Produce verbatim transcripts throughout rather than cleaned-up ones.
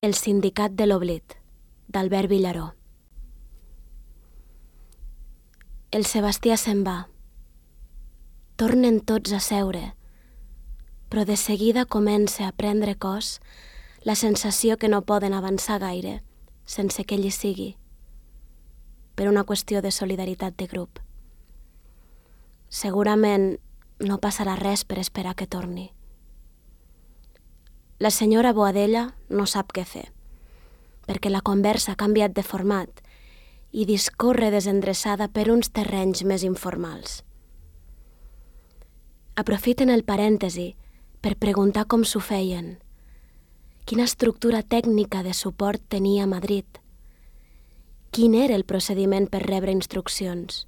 El sindicat de l'oblit, d'Albert Villaró. El Sebastià se'n va. Tornen tots a seure, però de seguida comença a prendre cos la sensació que no poden avançar gaire sense que ell hi sigui, per una qüestió de solidaritat de grup. Segurament no passarà res per esperar que torni. La senyora Boadella no sap què fer, perquè la conversa ha canviat de format i discorre desendreçada per uns terrenys més informals. Aprofiten el parèntesi per preguntar com s'ho feien, quina estructura tècnica de suport tenia Madrid, quin era el procediment per rebre instruccions,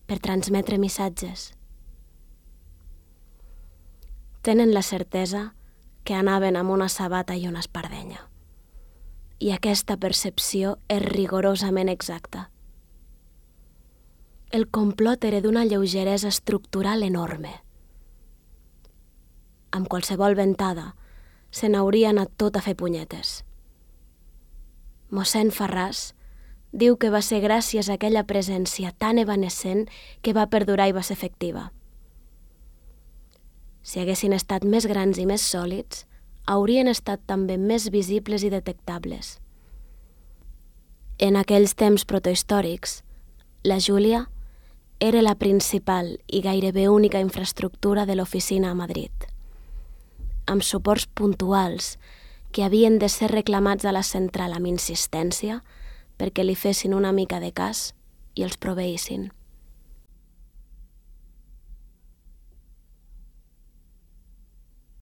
per transmetre missatges. Tenen la certesa que anaven amb una sabata i una espardenya. I aquesta percepció és rigorosament exacta. El complot era d'una lleugeresa estructural enorme. Amb qualsevol ventada se n'hauria anat tot a fer punyetes. Mossèn Farràs diu que va ser gràcies a aquella presència tan evanescent que va perdurar i va ser efectiva. Si haguessin estat més grans i més sòlids, haurien estat també més visibles i detectables. En aquells temps protohistòrics, la Júlia era la principal i gairebé única infraestructura de l'oficina a Madrid, amb suports puntuals que havien de ser reclamats a la central amb insistència perquè li fessin una mica de cas i els proveïssin.